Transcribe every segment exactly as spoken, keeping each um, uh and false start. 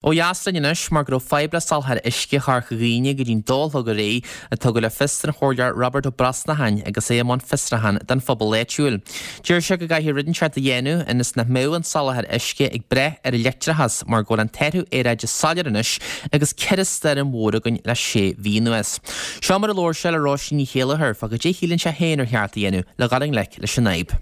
Ó dheas linn anois mar go raibh fadhb le soláthar uisce Chorca Dhuibhne go dtí'n dó a chlog aréir a tugadh le fios don chomhairleoir Robert Ó Brosnacháin agus é i mbun fiosrúchán don phobal áitiúil. Deir sé go gcaithfidh rud inteacht a dhéanamh ionas nach mbeadh an soláthar uisce ag brath ar an leictreachas mar go bhfuil an t-athrú aeráide soiléir anois agus ceithre stoirm mhór againn le sé mhí anuas. Seo mar a labhair sé le Róisín Ní Chéilleachair fá goidé a shíleann sé féin ar cheart a dhéanamh le dhul i ngleic leis an fhadhb.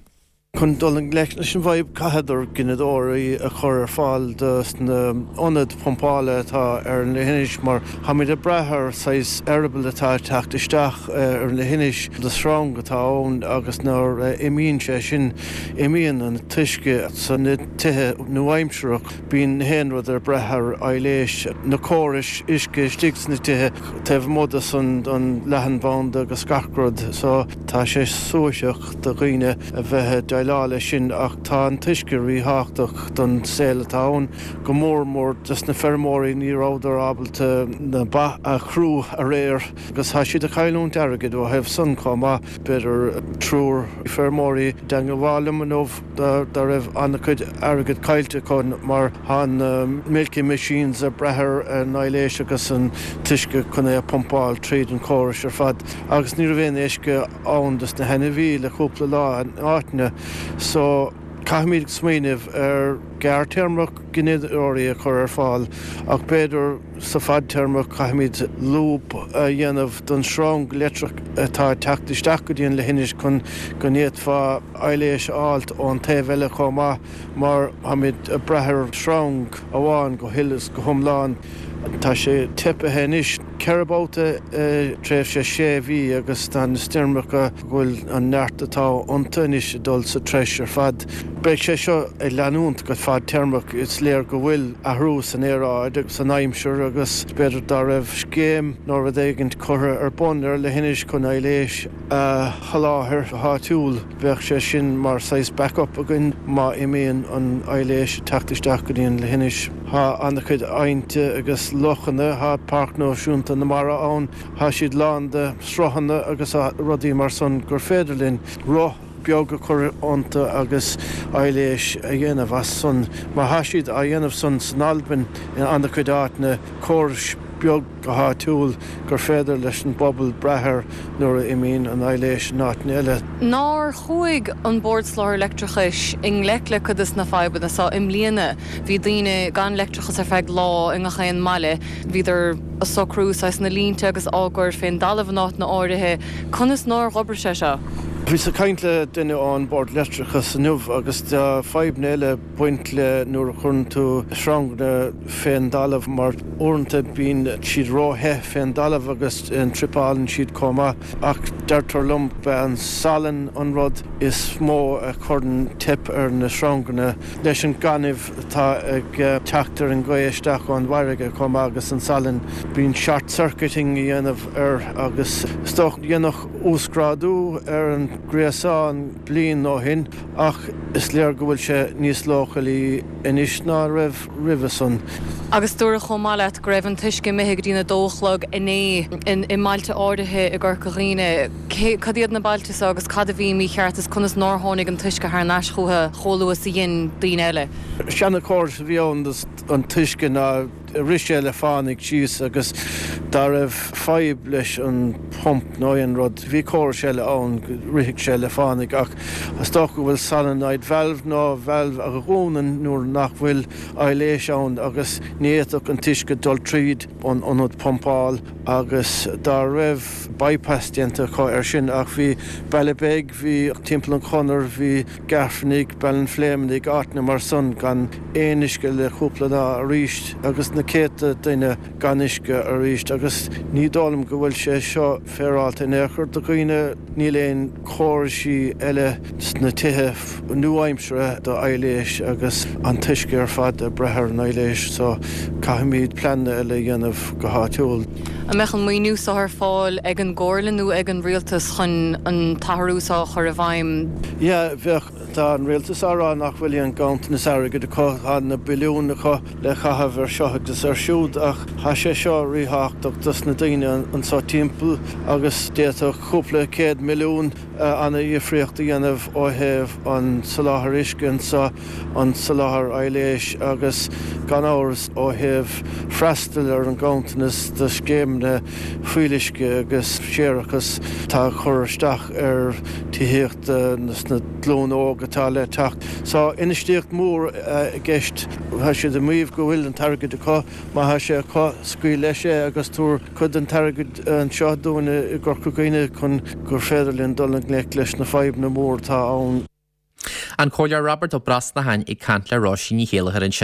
Chun dul i ngleic leis an bhfadhb caithfear gineadóirí a chur ar fáil do na ionaid pumpála atá ar an leithinis mar táimid ag brath ar saghas eireaball atá ag teacht isteach ar an leithinis de sreang atá ann agus nuair a imíonn sé sin imíonn an t-uisce sna tithe nua-aimseartha. Bíonn aon rud ag brath ar aibhléis na córais uisce istigh sna tithe taobh amuigh de san an leathanbhanda agus gach rud so tá sé suaithinseach do dhaoine a bheith ag déileáil leis sin ach tá an t-uisce ríthábhachtach don saol atá ann go mór mór dos na feirmeoirí ní rabhadar ábalta na ba a chrú aréir agus tá siad ag cailliúint airgid ó thaobh san chomh maith b'fhéidir triúr feirmeoirí i dteagmháil liom inniu dá raibh an-chuid airgid caillte acu mar tá na milking machines ag brath ar an aibhléis agus an t-uisce chun é a phumpáil tríd an chóras ar fad agus ní raibh aon uisce ann dos na hainmhithe le cúpla lá in áiteanna so caithfimid smaoineamh ar gearrthéarmach gineadóirí a chur ar fáil ach b'fhéidir sa fadtéarma caithfimid lúb a dhéanamh don sreang leictreach atá ag teacht isteach go dtí an leithinis chun go bhféadfá aibhléis a fháilt ón taobh eile chomh maith mar táimid ag brath ar sreang amháin go huile is go hiomlán. Tá sé teipthe anois ceithre babhta i tréimhse sé mhí agus tá na stoirmeacha go bhfuil an neart atá iontu anois ag dul sa treis ar fad. Beidh sé seo ag leanúint go fadtéarmach is léir go bhfuil athrú san aeráid agus san aimsir agus b'fhéidir dá raibh scéim nó rud éigin curtha ar bun ar leithinis chun aibhléis a sholáthar go háitiúil bheadh sé sin mar saghas backup againn má imíonn an aibhléis ag teacht isteach go dtí an leithinis. Tá an-chuid aibhneacha agus lochanna tá Páirc Náisiúnta na Mara ann, tá siad lán de sruthanna agus rudaí mar san gur féidir linn roth beag a chur iontu agus aibhléis a dhéanamh as san mar tá siad á dhéanamh san san Albain in an-chuid áiteanna córais beag go háitiúil gur féidir leis an bpobal brath air nuair a imíonn an aibhléis in áiteanna eile. Nár chuaigh an Bord Soláthair Leictreachais i ngleic le cuid de na fadhbanna seo i mbliana bhí daoine gan leictreachas ar feadh lá i ngach aon mbaile, bhíodar ag socrú saghas na línte agus á gcur fén dtalamh in áiteanna áirithe, conas nár dh'oibrigh sé seo? Bhíos ag caint le duine ón Bord Leictreachais inniu agus tá fadhbanna eile ag baint le nuair a chuireann tú sreanganna fén dtalamh mar uaireanta bíonn siad róthe fén dtalamh agus tripeálann siad chomh maith ach deirtear liom b'é an salann an rud is mó a chuireann teip ar na sreanganna leis an gaineamh atá ag teacht ar an ghaoth isteach ón bhfarraige chomh maith agus an salann bíonn short circuiting a dhéanamh air agus is dócha dhéanadh uasghrádú ar an gréasán bliain ó shin ach is léir go bhfuil sé níos leochailí anois ná raibh roimhe san. Agus dúradh chomh maith leat go raibh an t-uisce imithe go dtí a dó a chlog inné i mbailte áirithe i gCorca Dhuibhne. Cad iad na bailte seo agus cad a bhí mícheart is conas nár tháinig an t-uisce thar n-ais chucu chomh luath is a dhein daoine eile. Seanchóras a bhí ann an t-uisce ná rith sé le fánaidh síos agus dá raibh fadhb leis an pump nó aon rud bhí córas eile ann rithfeadh sé le fánaidh ach is dócha go bhfuil solenoid valve nó valve a dhúnann nuair nach bhfuil aibhléis ann agus ní fhéadfadh an t-uisce dul tríd an ionad pumpáil agus dá raibh bypass déanta acu air sin ach bhí Ballybeg bhí Teampall an Chonair bhí Gairfeanaigh Baile an Phléimeannaigh áiteanna mar san gan aon uisce le cúpla lá arís agus na céadta duine gan uisce arís agus ní dóigh liom go bhfuil sé seo féaráilte in aon chor do dhaoine níl aon chóraisí eile sna tithe nua-aimseartha do aibhléis agus an t-uisce ar fad ag brath ar an aibhléis so caithfimid pleananna eile a dhéanamh go háitiúil. An mbeadh an maoiniú seo ar fáil ag an gComhairle nó ag an rialtas chun an t-athrú seo a chur i bhfeidhm? Yeah, bheadh Tá an rialtas á rá nach bhfuil aon ganntanas airgid acu, tá na billiúin acu le caitheamh ar seo agus ar siúd ach tá sé seo ríthábhachtach dos na daoine anseo timpeall agus d'fhéadfadh cúpla céad milliún an-dhifríocht a dhéanamh ó thaobh an soláthar uisce anseo, an soláthar aibhléis agus gan amhras ó thaobh freastal ar an nganntanas do scéimeanna fuíolluisce agus séarachas atá ag cur isteach ar tithíocht sna glúin óg atá le teacht. So infheistíocht mhór i gceist. Tá siad ag maíomh go bhfuil an t-airgead acu, má tá sé acu, scaoil leis é agus tabhair cuid den t-airgead anseo dúinn i gCorca Dhuibhne chun gur féidir linn dul i ngleic leis na fadhbanna mór atá ann. An Comhairleoir Robert Ó Brosnacháin ag caint le Róisín Ní Chéilleachair ansin.